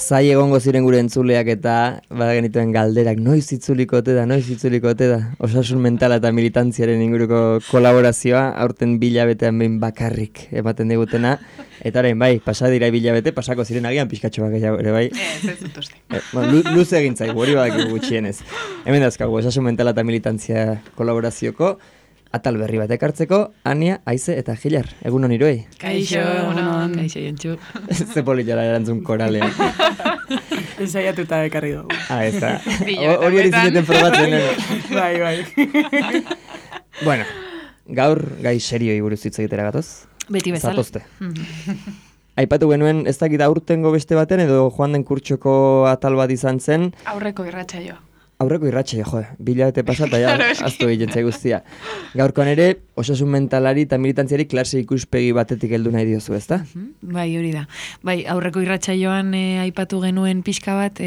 Zai egongo ziren gure entzuleak eta badagenituen galderak noiz itzuliko ote da. Osasun mentala eta militantziaren inguruko kolaborazioa aurten bilabetean behin bakarrik ematen digutena. Eta orain bai, pasadira bilabete, pasako ziren agian pixkatxo gehiago ere bai. Ez dut uste. Luze egin zaigu, hori badakigu gutxienez. Hemen dazkagu, osasun mentala eta militantzia kolaborazioko atal berri bat ekartzeko, Ania, Aize eta Gilar. Egun hon iruei. Kaixo, kaixo jontxu. Ze politara erantzun koralean. Ensaiatuta ekarri dugu. Ez da. Hori zineten probatzen. Bai. Bueno, gaur gai serioi buruz hitz egitera gatoz. Beti bezala. Zatozte. Aipatu genuen, ez dakit aurtengo beste baten edo joan den kurtsoko atal bat izan zen. Aurreko irratsaioa. Aurreko irratxe, bilabete pasata, ja, aztu egiten guztia. Gaurkoan ere, osasun mentalari eta militantziari klase ikuspegi batetik heldu nahi diozu, ezta? Bai, hori da. Bai, aurreko irratsaioan aipatu genuen pixka bat,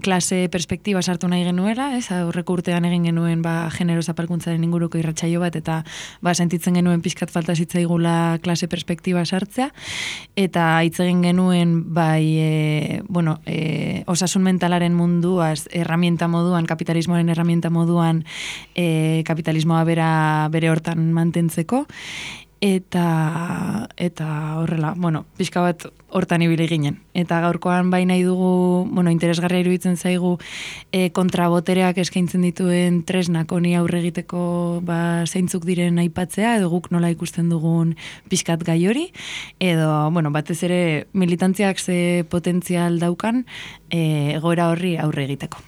klase perspektiba sartu nahi genuela, ez? Aurreko urtean egin genuen genero zapalkuntzaren inguruko irratsaio bat, eta sentitzen genuen pixkat falta zitzaigula klase perspektiba sartzea, eta hitz egin genuen, osasun mentalaren mundua, herramienta moduan, kapitalismoaren herramienta moduan, kapitalismoa bere hortan mantentzeko, eta horrela, pixka bat hortan ibili ginen. Eta gaurkoan bai nahi dugu, interesgarria iruditzen zaigu kontrabotereak eskaintzen dituen tresnak honi aurre egiteko zeintzuk diren aipatzea, edo guk nola ikusten dugun pixkat gai hori, edo, batez ere militantziak ze potentzial daukan egoera horri aurre egiteko.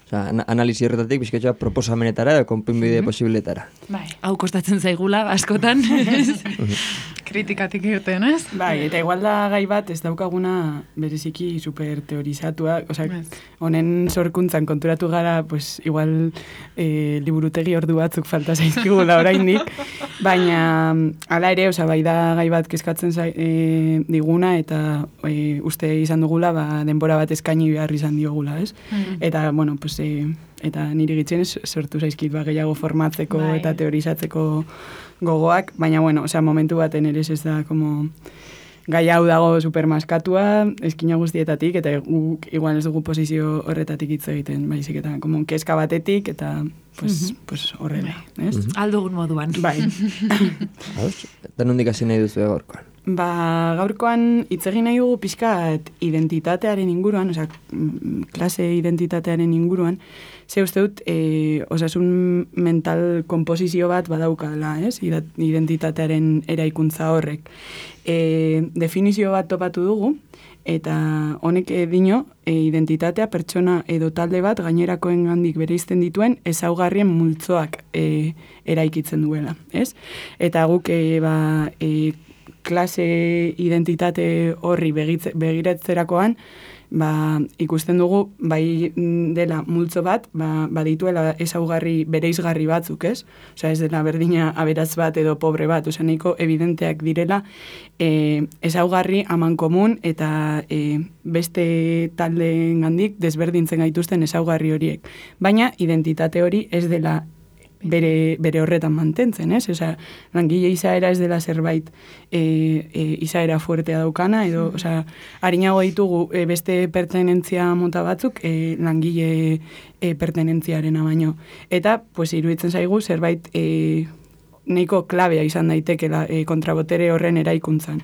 Analisi horretatik bizkatxoa proposamenetara edo konponbide posibletara. Bai, hau kostatzen zaigula askotan. Kritikatik irten, ez? Bai, eta igual da gai bat ez daukaguna bereziki super teorizatua, honen sorkuntzan konturatu gara, igual liburutegi ordu batzuk falta zaizkigula oraindik, baina hala ere, bai da gai bat kezkatzen diguna, eta uste izan dugula, denbora bat eskaini behar izan diogula, ez? Eta, eta niri gitzenez sortu zaizkit gehiago formatzeko eta teorizatzeko gogoak, baina momentu baten ere ez da gai hau dago supermaskatua, eskina guztietatik, eta igual ez dugu posizio horretatik hitz egiten, baizik eta kezka batetik, eta horrela, ez? Aldugun moduan. Bai. Eta nondik hasi nahi duzu gaurkoan? Gaurkoan hitz egin nahi dugu pixkat identitatearen inguruan, klase identitatearen inguruan, ze uste dut osasun mental komposizio bat badaukala, ez? Identitatearen eraikuntza horrek. Definizio bat topatu dugu, eta honek dino, identitatea pertsona edo talde bat gainerakoen gandik bereizten dituen ezaugarrien multzoak eraikitzen duela, ez? Eta guk klase identitate horri begiratzerakoan, ikusten dugu, bai dela multzo bat, badituela ezaugarri bereizgarri batzuk, ez? Ez dela berdina aberatz bat edo pobre bat, nahiko evidenteak direla ezaugarri amankomun eta beste taldeen gandik desberdintzen gaituzten ezaugarri horiek. Baina identitate hori ez dela bere horretan mantentzen, ez? Langile izaera ez dela zerbait izaera fuertea daukana, edo, harinago ditugu beste pertenentzia mota batzuk langile pertenentziarena baino. Eta, iruditzen zaigu zerbait nahiko klabea izan daitekela kontrabotere horren eraikuntzan.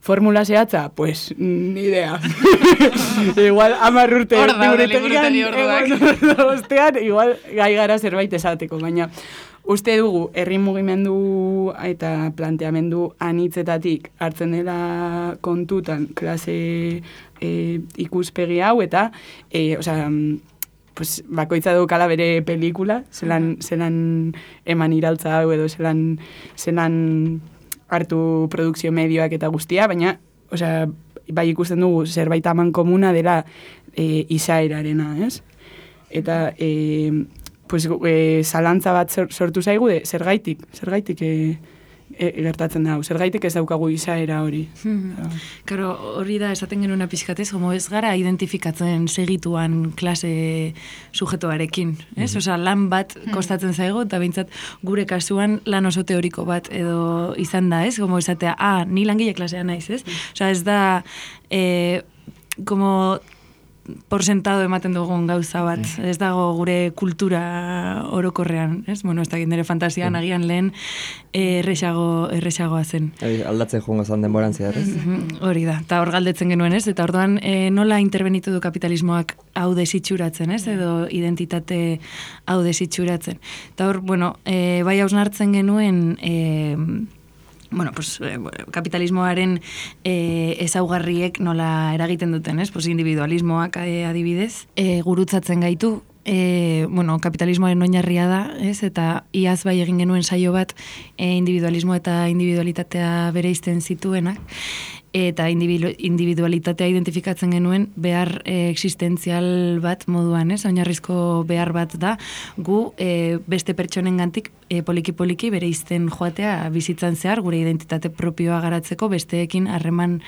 Formula zehatza? Ni idea. Igual 10 urte liburutegi orduak. Ostean, igual gai gara zerbait esateko, baina uste dugu herri mugimendu eta planteamendu anitzetatik hartzen dela kontutan klase ikuspegi hau eta bakoitza daukala bere pelikula, zelan eman iraultza hau edo zelan hartu produkzio medioak eta guztia, baina bai ikusten dugu zerbait aman komuna dela izaerarena, ez? Eta zalantza bat sortu zaigu, zergaitik gertatzen da. Zergaitik ez daukagu izaera hori. Karo, hori da esaten genuen pixkatez, homo ez gara identifikatzen segituan klase sujetoarekin, ez? Osa, lan bat kostatzen zaigo, eta behintzat gure kasuan lan oso teoriko bat edo izan da, ez? Homo esatea, ni langile klasea naiz, ez? Osa, ez da, como por sentado ematen dugun gauza bat. Ez dago gure kultura orokorrean, ez? Bueno, ez dakit nire fantasian agian lehen erresagoa zen. Aldatzen joango zan denboran zehar, ez? Hori da, eta hor galdetzen genuen, ez? Eta orduan nola interbenitu du kapitalismoak hau desitxuratzen, ez? Edo identitate hau desitxuratzen. Eta hor, bueno, bai hausnartzen genuen bueno, pues, kapitalismoaren ezaugarriek nola eragiten duten, ez? Pues, individualismoak adibidez, gurutzatzen gaitu, bueno, kapitalismoaren oinarria da, ez? Eta iaz bai egin genuen saio bat individualismo eta individualitatea bereizten zituenak, eta individualitatea identifikatzen genuen behar existentzial bat moduan, ez? Oinarrizko behar bat da, gu beste pertsonengantik poliki-poliki bereizten joatea bizitzan zehar, gure identitate propioa garatzeko, besteekin harreman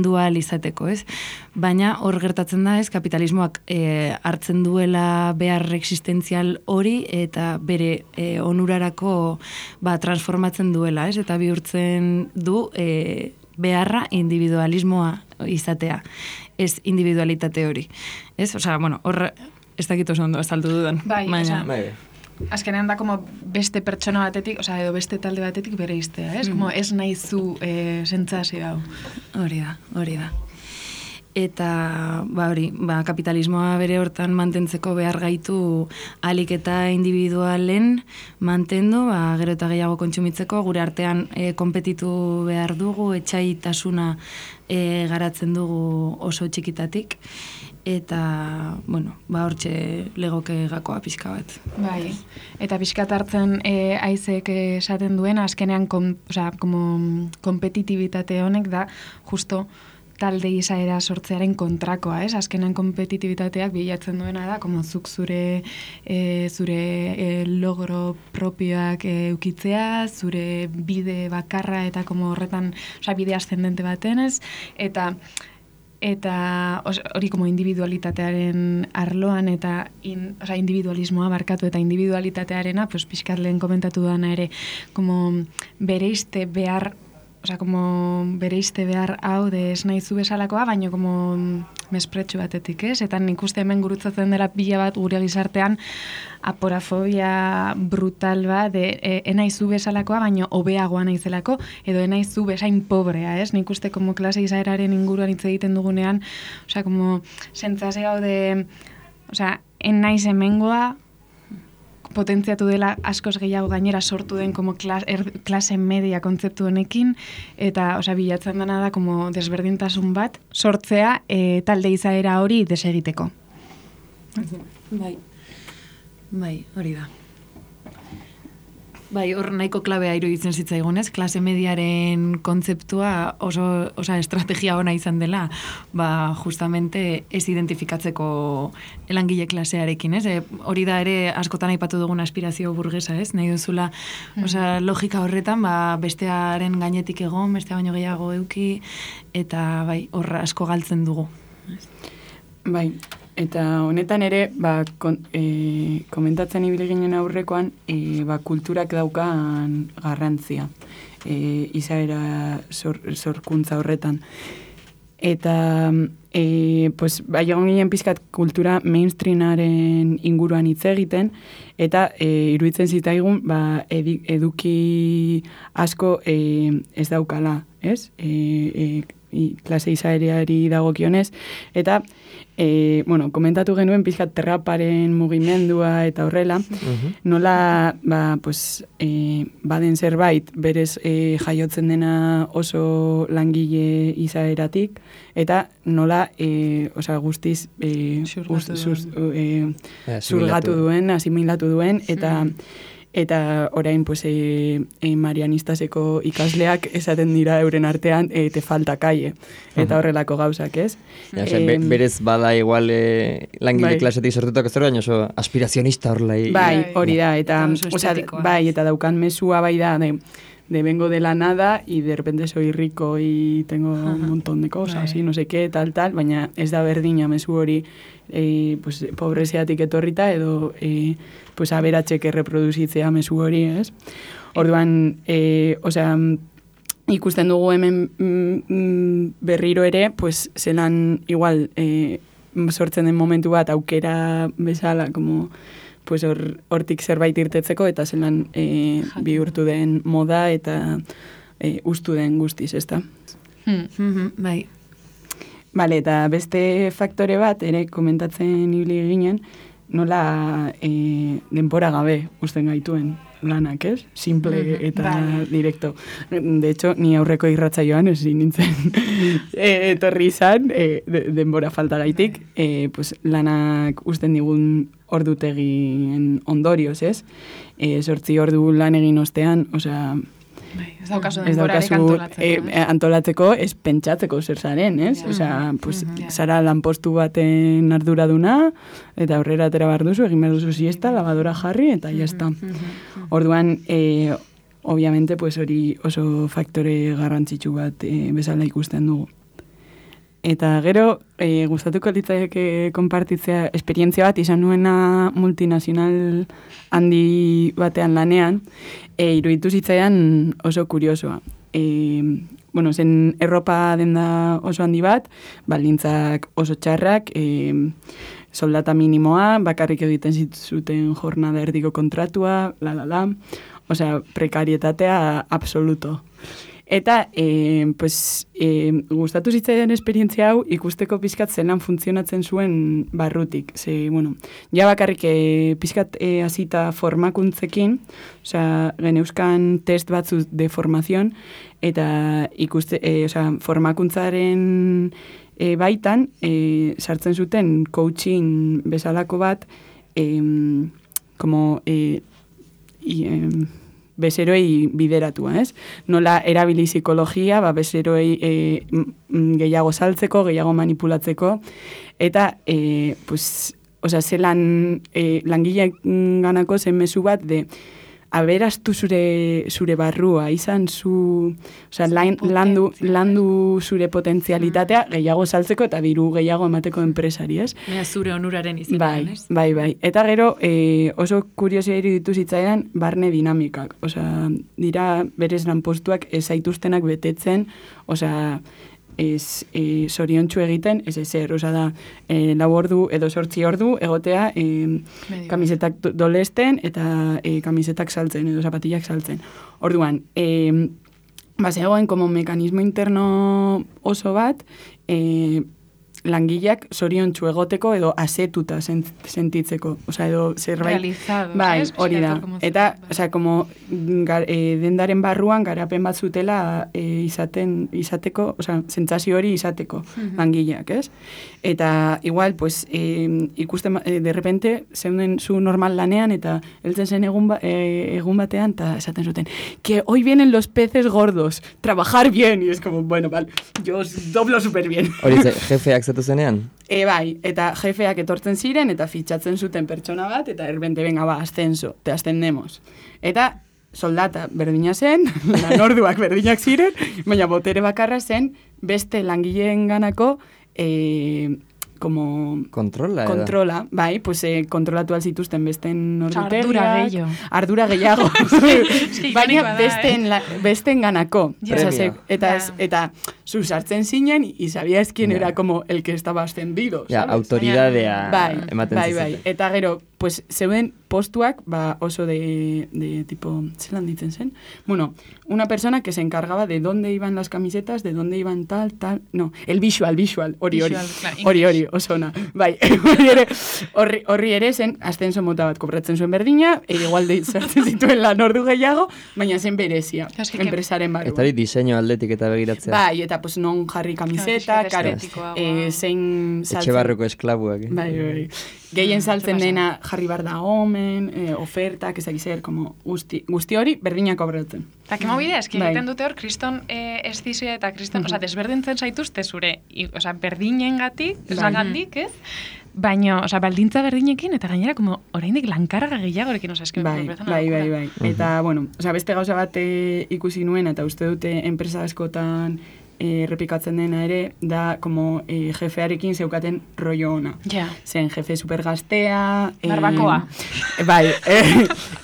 dual izateko, ez? Baina hor gertatzen da, ez, kapitalismoak hartzen duela behar existentzial hori eta bere onurarako transformatzen duela, ez? Eta bihurtzen du beharra individualismoa izatea, ez individualitate hori. Ez? Osea, bueno, hor ez dakit oso ondo azaldu dudan. Bai, Bai. Azkenean da como beste pertsona batetik, edo beste talde batetik bere iztea, ez? Como ez nahi zu sentsazio hau. Hori da. Eta kapitalismoa bere hortan mantentzeko behar gaitu ahalik eta individualen mantendu, gero eta gehiago kontsumitzeko, gure artean konpetitu behar dugu, etsaitasuna garatzen dugu oso txikitatik, eta, bueno, hortxe legoke gakoa pixka bat. Bai, eta pixkat hartzen aizek esaten duen, azkenean kompetitibitate honek da, justo, talde izaera sortzearen kontrakoa, ez? Azkenan kompetitibitateak bilatzen duena da, como zuk zure logro propioak eukitzea, zure bide bakarra eta como horretan, bide ascendente baten, ez? Eta hori como individualitatearen arloan eta individualismoa barkatu eta individualitatearena, pues pixkat lehen komentatu dana ere, como bereizte behar hau de ez nahi zu bezalakoa, baina como mespretxu batetik, ez? Eta nik uste hemen gurutzatzen dela pila bat gure gizartean aporafobia brutal bat de enai zu bezalakoa, baina hobeagoa naizelako, edo enai zu bezain pobrea, ez? Nik uste como klase izaeraren inguruan hitz egiten dugunean, como sentsazio hau de, enaiz hemengoa, potentziatu dela askoz gehiago gainera sortu den como klase media kontzeptu honekin, eta bilatzen dena da como desberdintasun bat sortzea talde izaera hori desegiteko. Bai, hori da. Bai, hor nahiko klabea iruditzen zitzaigunez, klase mediaren kontzeptua oso estrategia ona izan dela, justamente ez identifikatzeko langile klasearekin, ez? Hori da ere askotan aipatu dugun aspirazio burgesa, ez? Nahi duzula, logika horretan, bestearen gainetik egon, bestea baino gehiago eduki, eta bai, hor asko galtzen dugu. Bai, eta honetan ere, komentatzen ibili ginen aurrekoan, kulturak daukan garrantzia, izaera sorkuntza horretan. Eta, egon ginen pizkat kultura mainstreamaren inguruan hitz egiten, eta iruditzen zitaigun, eduki asko ez daukala, ez? Klase izaeriari dagokionez, eta komentatu genuen pizkat terraparen mugimendua eta horrela, nola baden zerbait berez jaiotzen dena oso langile izaeratik, eta nola guztiz zurgatu duen, asimilatu duen, eta orain marianistaseko ikasleak esaten dira euren artean te falta calle, eta horrelako gauzak, ez? Berez bada igual langile klasetik sortutak ez baina oso aspirazionista horrela. Bai, hori da, eta daukan mesua bai da, vengo de la nada y de repente soy rico y tengo un montón de cosas y no sé qué, tal, baina ez da berdina mezu hori pues, pobreziatik etorrita edo pues, aberatxek erreproduzitzea mezu hori, ez? Orduan, osea, ikusten dugu hemen berriro ere, pues, zelan igual sortzen den momentu bat aukera bezala, como pues hortik zerbait irtetzeko eta zelan bihurtu den moda eta ustu den guztiz, ezta? Bai. Bale, eta beste faktore bat ere komentatzen ibili ginen, nola denbora gabe usten gaituen lanak, ez? Simple eta directo. De hecho, ni aurreko irratsaioan ezin nintzen etorri izan, denbora faltagaitik, pues, lanak usten digun ordutegien ondorioz, ez? 8 ordu lan egin ostean, osea, ez daukazu denborarik antolatzeko. Antolatzeko, ez pentsatzeko zer zaren, ez? Osea, pues, zara lanpostu baten arduraduna, eta aurrera atera behar duzu, egin behar duzu siesta, lavadora jarri, eta jazta. Orduan, obviamente, pues, hori oso faktore garrantzitsu bat bezala ikusten dugu. Eta gero, gustatuko litzaieke konpartitzea esperientzia bat izan nuena multinazional handi batean lanean, iruditu zitzaidan oso kuriosoa. Bueno, zen erropa denda oso handi bat, baldintzak oso txarrak, soldata minimoa, bakarrik egiten zuten jornada erdiko kontratua, osea, prekarietatea absoluto. Eta, pues, gustatu zitzaidan esperientzia hau ikusteko pizkat zelan funtzionatzen zuen barrutik. Ze, bueno, ja bakarrik pizkat hasita formakuntzekin, osea, geneuzkan test batzu de formazion, eta formakuntzaren baitan, sartzen zuten coaching bezalako bat, como, bezeroei bideratua, ez? Nola erabili psikologia, bezeroei gehiago saltzeko, gehiago manipulatzeko, eta, pues, osea, zelan langileak ganako zen mezu bat de aberastu zure barrua, izan zu, osea, landu zure potentzialitatea gehiago saltzeko eta diru gehiago emateko enpresari, ez? Zure onuraren izatean, ez? Bai. Eta gero, oso kuriosia iruditu zitzaidan barne dinamikak. Osea, dira berez lanpostuak ez zaituztenak betetzen, osea, ez zoriontsu egiten, ez ezer, osea da, 4 ordu edo 8 ordu egotea kamisetak dolesten eta kamisetak saltzen edo zapatillak saltzen. Orduan, zegoen como mekanismo interno oso bat, langileak zoriontsu egoteko edo asetuta sentitzeko, osea, edo zerbait realizado, bai, hori da. Eta, osea, como dendaren barruan garapen bat zutela izateko, osea, sentsazio hori izateko langileak, ez? Eta igual, pues, ikusten de repente zeunden zu normal lanean eta heltzen zen egun batean eta esaten zuten, que hoy vienen los peces gordos, trabajar bien, y es como, bueno, vale, yo os doblo súper bien. Hori jefeak zatu zenean? Bai, eta jefeak etortzen ziren eta fitxatzen zuten pertsona bat, eta erbente, venga, ascenso, te ascendemos. Eta soldata berdina zen, lanorduak berdinak ziren, baina botere bakarra zen beste langileen ganako como kontrola, bai, pues kontrolatu alzituzten besten ordutegiak, ardura gehiago, baina besten ganako. Eta zu sartzen zinen, y sabías quién era como el que estaba ascendido. Ja, autoridadea ematen zizuten. Bai, eta gero, pues, zeuden postuak, oso de tipo, zelan ditzen zen? Bueno, una persona que se encargaba de dónde iban las camisetas, de dónde iban tal, no, el visual, hori, oso ona. Bai, horri ere zen, ascenso mota bat kobratzen zuen berdina, igual de sartzen zituen lan ordu gehiago, baina zen berezia, enpresaren barruan. Eta hori diseño aldetik eta begiratzea. Bai, eta pues non jarri kamiseta, zein saltzen. Etxe barruko esklabuak. Bai. Gehien saltzen dena jarri bar da omen, ofertak, ez dakizer, como guzti hori berdinak kobratzen. Eta kemo bidea, eski egiten dute hor, kriston estizia eta kriston, desberdintzen zaituzte zure, berdinen gatik, ez? baina, oza, baldintza berdinekin, eta gainera, como, oraindik lankarga gehiagorekin, oza, eski, bai. Eta, bueno, oza, beste gauza bat ikusi nuen, eta uste dute enpresa askotan repikatzen dena ere, da, como, jefearekin zeukaten rollo ona. Ja. Zen, jefe supergaztea... Barbakoa. Bai,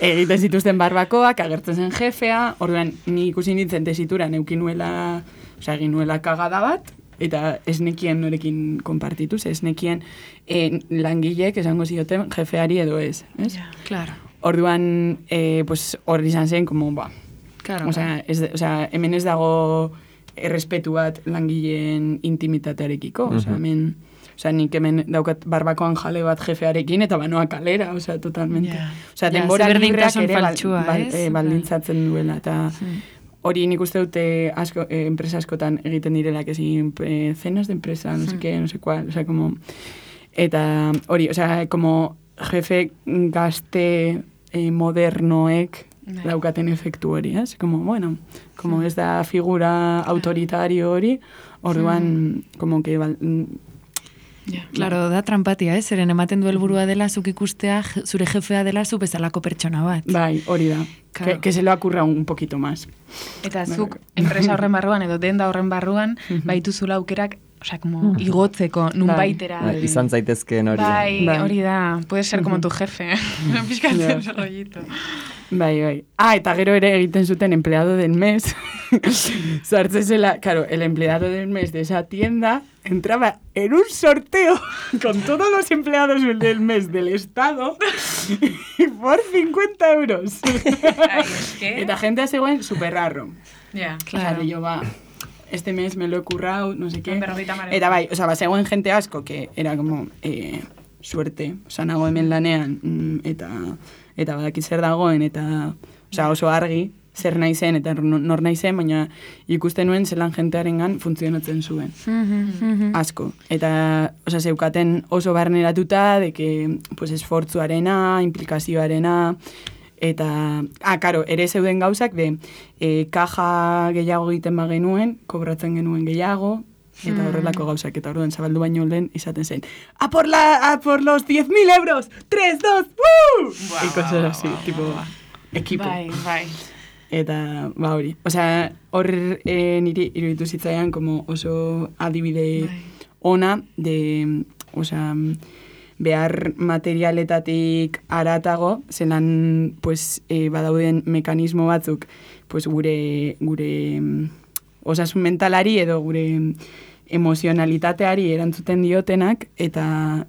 egiten zituzten barbakoak, agertzen zen jefea, orduan, ni ikusi nintzen tesituran egin nuela kagada bat, eta ez nekien norekin konpartituz, ez nekien langilek esango zioten jefeari edo ez. Ja, claro. Orduan, pues, hor izan zen, como, ba, Claro. hemen ez dago errespetu bat langileen intimitatearekiko, hemen... nik hemen daukat barbakoan jale bat jefearekin, eta banoa kalera, totalmente. Denbora libreak ere baldintzatzen duela, eta hori nik uste dute enpresa askotan egiten direlak ezin cenas de empresa, no sé qué, no sé cuál, como... Eta hori, como jefe gazte modernoek daukaten efektu hori, como, bueno, como ez da figura autoritario hori, orduan, como que... Claro, da trampatia, zeren ematen du helburua dela zuk ikustea, zure jefea dela zu bezalako pertsona bat. Bai, hori da. Claro. Que se lo ocurra un poquito más. Eta zuk enpresa horren barruan edo denda horren barruan baituzula aukerak, como igotzeko nunbaitera. Izan zaitezkeen hori. Bai, hori da. Puede ser como tu jefe. Pizkatzen ese rollito. Bai. Eta gero ere egiten zuten empleado del mes. Sartzen zela, claro, el empleado del mes de esa tienda entraba en un sorteo con todos los empleados del mes del Estado por 50 euros. Ay, ¿qué? Eta gente zegoen super raro. Ya, claro. Yo este mes me lo he currado, no sé qué. Eta bai, zegoen gente asko, que era como suerte, nago hemen lanean, eta badaki zer dagoen, eta oso argi, zer nahi zen, eta nor nahi zen, baina ikusten nuen zelan jentearengan funtzionatzen zuen. Asko. Eta, zeukaten oso barneratuta, de que, pues, esfortzuarena, implikazioarena, eta, karo, ere zeuden gauzak, kaja gehiago egiten bagenuen, kobratzen genuen gehiago, eta horrelako gauzak, eta orduan zabaldu baino lehen izaten zen, a por los 10.000 euros, 3, 2, ¡woo! Y cosas así, tipo, equipo. Bai. Eta, hori. Hor niri iruditu zitzaian como oso adibide ona de, behar materialetatik aratago, zelan, pues, badauden mekanismo batzuk, pues, gure osasun mentalari edo gure emozionalitateari erantzuten diotenak, eta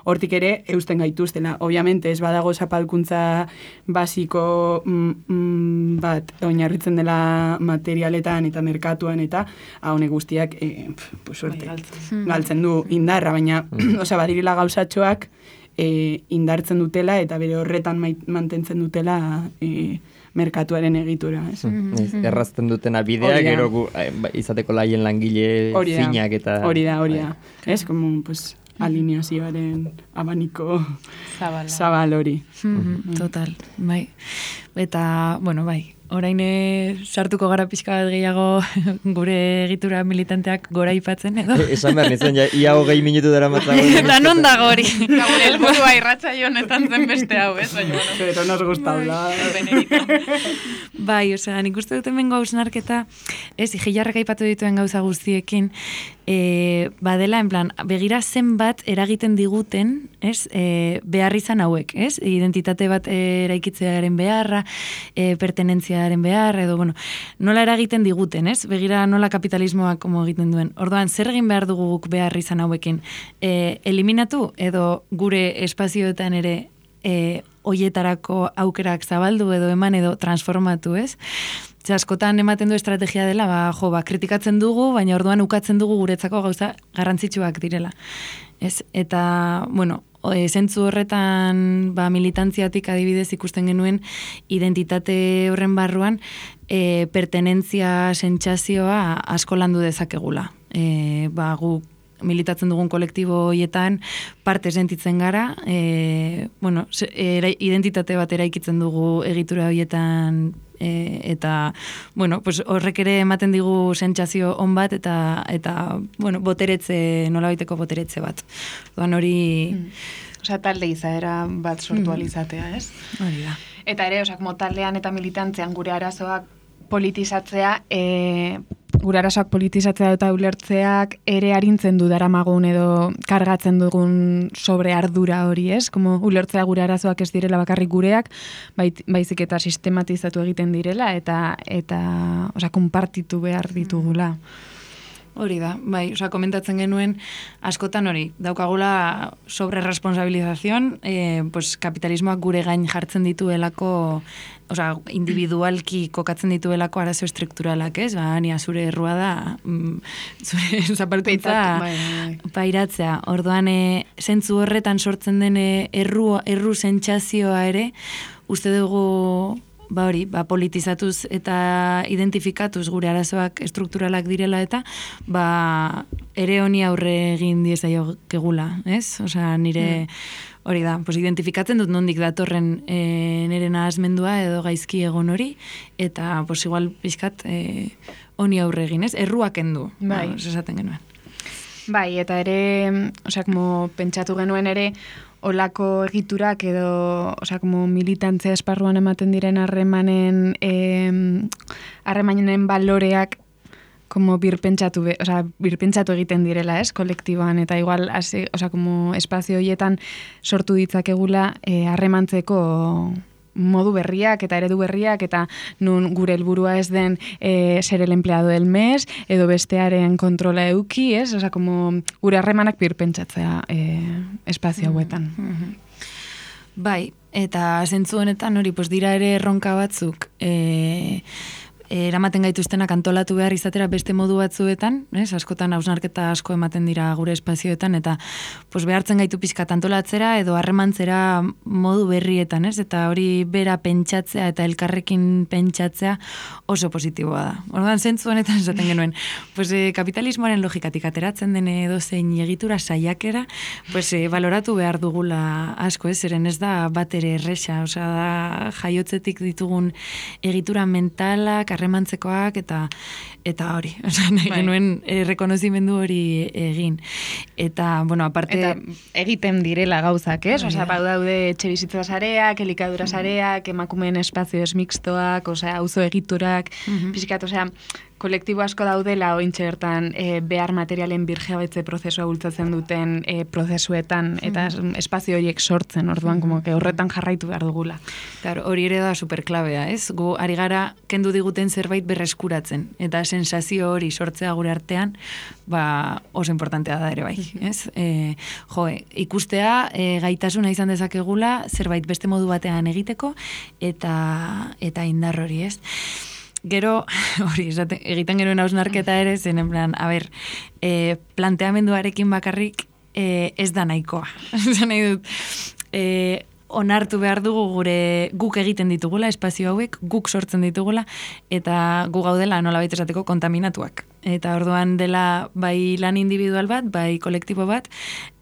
hortik ere eusten gaituztela. Obviamente ez badago zapalkuntza basiko bat oinarritzen dela materialetan eta merkatuan, eta honek guztiak suerte galtzen du indarra, baina badirila gauzatxoak indartzen dutela eta bere horretan mantentzen dutela merkatuaren egitura. Errazten dutena bidea, gero izateko laien langile zinak eta... Hori da. Ez, como, pues, alineazioaren abaniko zabal hori. Total, bai. Eta, bueno, bai, orain sartuko gara pixka bat gehiago gure egitura militanteak gora ipatzen, edo? Esan behar nintzen, ia 20 minutu dara matzago. Eta non dago hori? Gure helburua irratza jonetan zen beste hau, ez? Pero nos gusta hablar. Bai, nik uste dut hemen gausnarketa, ez, Igilarrek aipatu dituen gauza guztiekin, badela, en plan, begira zenbat eragiten diguten, ez, behar izan hauek, ez? Identitate bat eraikitzearen beharra, pertenentziaren behar, edo, bueno, nola eragiten diguten, ez? Begira nola kapitalismoak como egiten duen. Orduan, zer egin behar dugu guk behar izan hauekin? Eliminatu, edo gure espazioetan ere hoietarako aukerak zabaldu edo eman edo transformatu, ez? Askotan ematen du estrategia dela, kritikatzen dugu, baina orduan ukatzen dugu guretzako gauza garrantzitsuak direla. Ez? Eta, bueno, zentzu horretan militantziatik adibidez ikusten genuen identitate horren barruan pertenentzia sentsazioa asko landu dezakegula. Gu militatzen dugun kolektibo horietan parte sentitzen gara, identitate bat eraikitzen dugu egitura horietan eta, bueno, pues horrek ere ematen digu sentsazio on bat, eta bueno, nolabaiteko boteretze bat. Orduan hori... Osea, talde izaera bat sortu alizatea, ez? Hori da. Eta ere, osea, como taldean eta militantzean gure arazoak politizatzea, eta ulertzeak ere arintzen du daramagun edo kargatzen dugun sobre ardura hori, ez? Como ulertzea gure arazoak ez direla bakarrik gureak, baizik eta sistematizatu egiten direla eta osea, konpartitu behar ditugula. Hori da, bai, komentatzen genuen askotan hori, daukagula sobre responsabilización, pues kapitalismoak gure gain jartzen dituelako, individualki kokatzen dituelako arazo estrukturalak, ez? Nia zure errua da, zure zapartuitza pairatzea. Orduan, zentzu horretan sortzen den erru sentsazioa ere, uste dugu politizatuz eta identifikatuz gure arazoak estrukturalak direla eta ere honi aurre egin diezaiokegula, ez? Osea, nire hori da, identifikatzen dut nondik datorren nire nahazmendua edo gaizki egon hori, eta igual pixkat honi aurre egin, ez? Erruak endu, esaten genuen. Bai, eta ere, pentsatu genuen ere, olako egiturak edo, militantzia esparruan ematen diren harremanen baloreak birpentsatu egiten direla, ez, kolektiboan, eta igual, espazio horietan sortu ditzakegula harremantzeko modu berriak eta eredu berriak eta nun gure helburua ez den ser el empleado del mes edo bestearen kontrola euki, ez? Osea, gure harremanak birpentsatzea espazio hauetan. Bai, eta zentzu honetan hori, dira ere erronka batzuk eramaten gaituztenak antolatu behar izatera beste modu batzuetan, askotan hausnarketa asko ematen dira gure espazioetan, eta behartzen gaitu pixkat antolatzera edo harremantzera modu berrietan, eta hori bera pentsatzea eta elkarrekin pentsatzea oso positiboa da. Orduan, zentzu honetan esaten genuen, kapitalismoaren logikatik ateratzen den edozein egitura saiakera, baloratu behar dugula asko, zeren ez da bat ere erresa, da jaiotzetik ditugun egitura mentalak, harremantzekoak eta hori. Nahi genuen rekonozimendu hori egin. Eta, aparte... Eta egiten direla gauzak, ez? Daude etxe bizitza sareak, elikadura sareak, emakumeen espazio esmixtoak, auzo egiturak, pixkat, kolektibo asko daudela ointxe bertan behar materialen birjabetze prozesua bultzatzen duten prozesuetan eta espazio horiek sortzen, orduan horretan jarraitu behar dugula. Hori ere da superklabea, ez? Gu ari gara kendu diguten zerbait berreskuratzen, eta sensazio hori sortzea gure artean, oso importantea da ere bai, ez? Ikustea gaitasuna izan dezakegula zerbait beste modu batean egiteko eta indar hori, ez? Gero, hori, egiten genuen hausnarketa ere, zen, planteamenduarekin bakarrik ez da nahikoa. Zan nahi dut, onartu behar dugu guk egiten ditugula, espazio hauek, guk sortzen ditugula, eta gu gaudela nolabait esateko kontaminatuak. Eta orduan dela bai lan individual bat, bai kolektibo bat,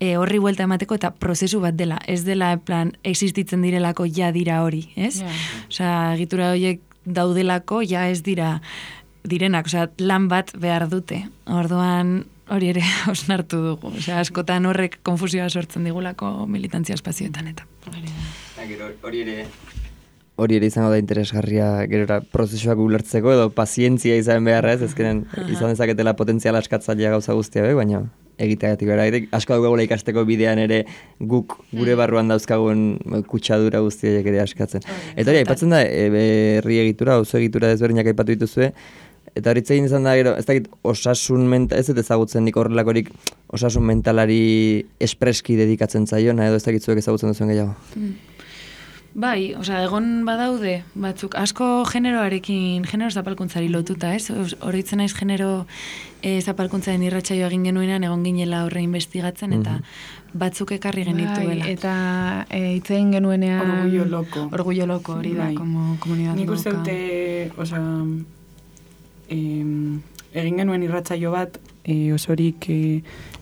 horri buelta emateko eta prozesu bat dela. Ez dela, existitzen direlako ja dira hori, ez? Egitura horiek daudelako ja ez direnak, lan bat behar dute. Orduan hori ere osnartu dugu. Askotan horrek konfusioa sortzen digulako militantzia espazioetan eta. Hori ere izango da interesgarria gerora prozesuak ulertzeko edo pazientzia izan beharra ez, ezkenen izan dezaketela potentziala askatzailea gauza guztia baina egiteagatik bera. Asko daugula ikasteko bidean ere guk gure barruan dauzkagun kutsadura guztiak ere askatzen. Eta hori, aipatzen da, herri egitura, auzo egitura desberdinak aipatu dituzue, eta hori egin izan da, ez dakit, osasun mental, ez dut ezagutzen nik horrelakorik osasun mentalari espreski dedikatzen zaiona, edo ez dakit zuek ezagutzen duzuen gehiago. Bai, egon badaude batzuk, asko genero zapalkuntzari lotuta, ez? Oroitzen naiz genero zapalkuntzaren irratsaioa egin genuenean egon ginela horre investigatzen, eta batzuk ekarri genituela. Bai, eta hitz egin genuenean... Orgullo loko, hori da, komunidad loka. Nik uste dute, egin genuen irratsaio bat, osorik...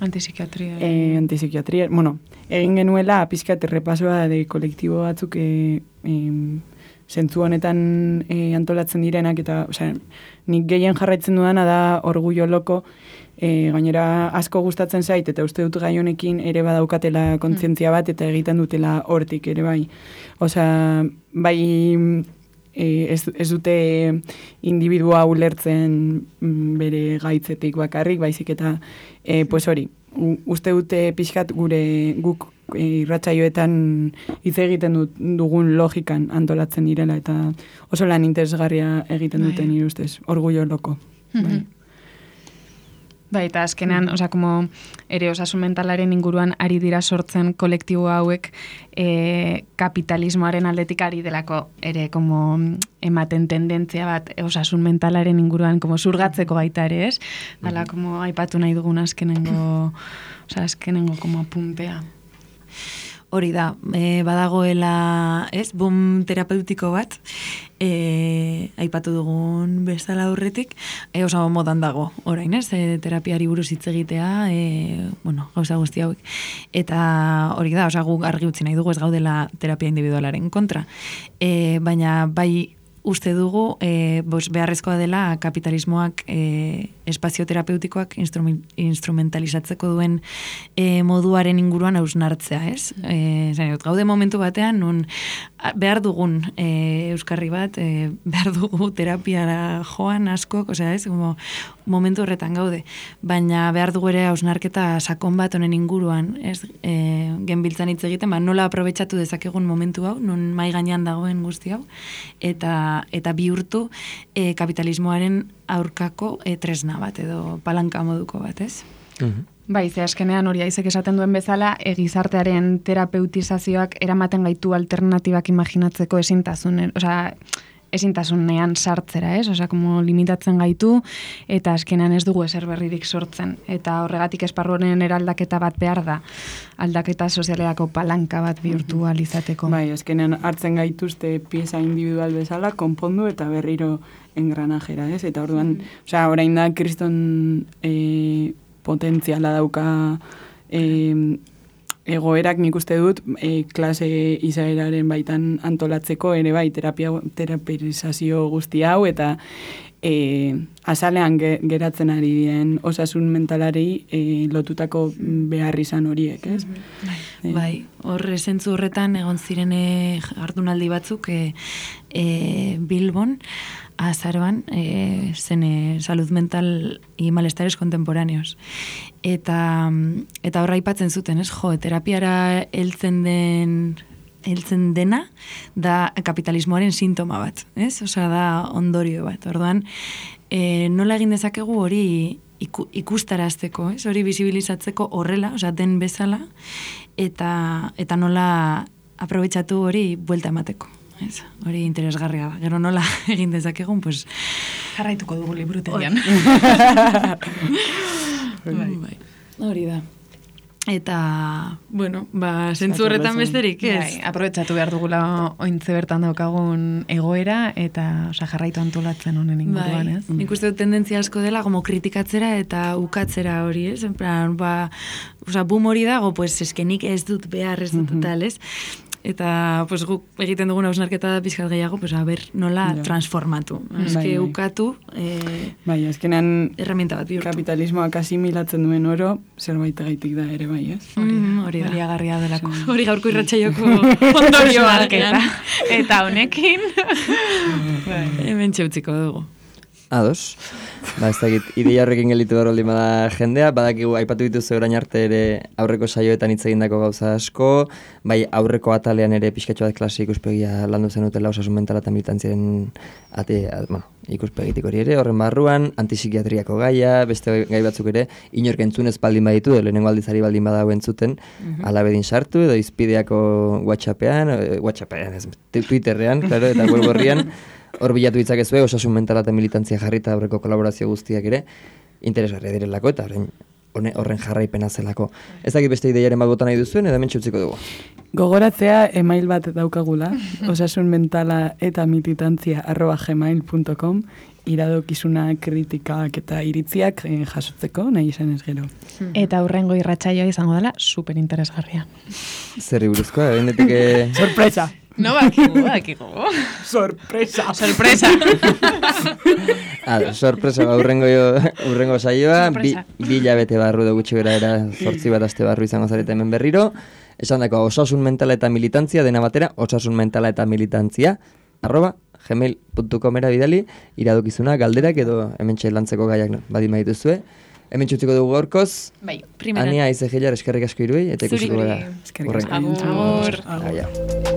Antipsikiatria. Bueno, egin genuela pizkat errepasoa de kolektibo batzuk zentzu honetan antolatzen direnak, eta nik gehien jarraitzen dudana da Orgullo Loko, gainera asko gustatzen zait, eta uste dut gai honekin ere badaukatela kontzientzia bat, eta egiten dutela hortik ere bai. Bai ez dute individua ulertzen bere gaitzetik bakarrik, baizik eta hori, uste dute pixkat guk irratsaioetan hitz egiten dugun logikan antolatzen direla, eta oso lan interesgarria egiten duten nire ustez, Orgullo Loko. Bai, eta azkenean, como ere osasun mentalaren inguruan ari dira sortzen kolektibo hauek kapitalismoaren aldetik ari delako ere como ematen tendentzia bat osasun mentalaren inguruan como zurgatzeko baita ere, ez? Dala, como aipatu nahi dugun azkenengo como apuntea. Hori da, badagoela, ez, boom terapeutiko bat, aipatu dugun bezala aurretik, oso modan dago, orain, ez, terapiari buruz hitz egitea, gauza guzti hauek. Eta hori da, guk argi utzi nahi dugu ez gaudela terapia individualaren kontra. Baina bai uste dugu, beharrezkoa dela kapitalismoak espazio terapeutikoak instrumentalizatzeko duen moduaren inguruan hausnartzea, ez? Gaude momentu batean, nun behar dugun euskarri bat, behar dugu terapiara joan askok, ez? Momentu horretan gaude. Baina behar dugu ere hausnarketa sakon bat honen inguruan, ez? Genbiltzan hitz egiten, nola aprobetxatu dezakegun momentu hau, nun mai gainean dagoen guzti hau, eta bihurtu kapitalismoaren aurkako tresna bat edo palanka moduko bat, ez? Bai, ze azkenean hori Aizek esaten duen bezala, gizartearen terapeutizazioak eramaten gaitu alternatibak imaginatzeko ezintasunean sartzera, ez? Como limitatzen gaitu, eta azkenean ez dugu ezer berririk sortzen. Eta horregatik esparruaren eraldaketa bat behar da, aldaketa sozialerako palanka bat bihurtu alizateko. Bai, azkenean hartzen gaituzte pieza individual bezala, konpondu eta berriro engranajera, ez? Eta orduan, orain da kriston potentziala dauka egoerak nik uste dut klase izaeraren baitan antolatzeko ere bai terapiazio guzti hau eta azalean geratzen ari diren osasun mentalari lotutako behar izan horiek, ez? Bai, horre zentzu horretan egon ziren jardunaldi batzuk Bilbon, azaroan, zen salud mental y malestares contemporáneos. Eta horra aipatzen zuten, ez? Terapiara heltzen dena da kapitalismoaren sintoma bat, ez? Da ondorio bat. Orduan, nola egin dezakegu hori ikustarazteko, ez? Hori bisibilizatzeko horrela, den bezala, eta nola aprobetxatu hori buelta emateko. Hori interesgarria da. Gero nola egin dezakegun, pues jarraituko dugu liburutegian. Bai. Hori da. Eta, zentzu horretan besterik, ez? Bai, aprobetxatu behar dugula ointze bertan daukagun egoera, eta jarraitu antolatzen honen inguruan, ez? Nik uste dut tendentzia asko dela, como kritikatzera eta ukatzera hori, ez? En plan, boom hori dago, pues eskenik ez dut behar, ez dut tal, ez? Eta guk egiten dugun hausnarketa pixkat gehiago, nola transformatu. Eske ukatu, azkenean herramienta bat bihurtu. Kapitalismoak asimilatzen duen oro, zerbait gaitik da ere bai, ez? Hori da. Hori agarria delako. Hori gaurko irratsaioko ondorioa. Eta honekin. Hemen txeutziko dugu. Ados. Ez dakit, ideia horrekin gelitu behar holdin bada jendea, badakigu aipatu dituzu orain arte ere aurreko saioetan hitz egindako gauza asko, bai aurreko atalean ere pixkatxo bat klase ikuspegia landu zenutela osasun mentala eta militantziaren ikuspegitik hori ere, horren barruan, antipsikiatriako gaia, beste gai batzuk ere, inork entzunez baldin baditu, lehenengo aldizari baldin badago entzuten, alabedin sartu, edo izpideako WhatsAppean, Twitterrean, claro, eta web horrian, hor bilatu ditzakezue, osasun mentala eta militantzia jarrita aurreko kolaborazio guztiak ere, interesgarria direlako eta horren jarraipena zelako. Ez dakit beste ideiaren bat bota nahi duzuen, edo mentxe utziko dugu. Gogoratzea email bat daukagula, osasunmentala eta militantzia@gmail.com, iradokizuna, kritikak eta iritziak jasotzeko, nahi izan ez gero. Eta hurrengo irratsaioa izango dela, super interesgarria. Zerri buruzkoa, bendetik... Sorpresa! No, bakigu. Sorpresa. Sorpresa. Sorpresa, urrengo saioa, bi hilabete barru da gutxi bera era 8 bat aste barru izango zarete hemen berriro. Esan dako, osasun mentala eta militantzia, dena batera, osasun mentala eta militantzia, @gmail.com-era bidali, iradokizuna, galderak edo hemen lantzeko gaiak badima dituzue. Hemen txutziko dugu gaurkoz. Bai, Ania Aizegilar eskerrik asko iruei, eta ikusiko gara. Eskerrik asko. Agur.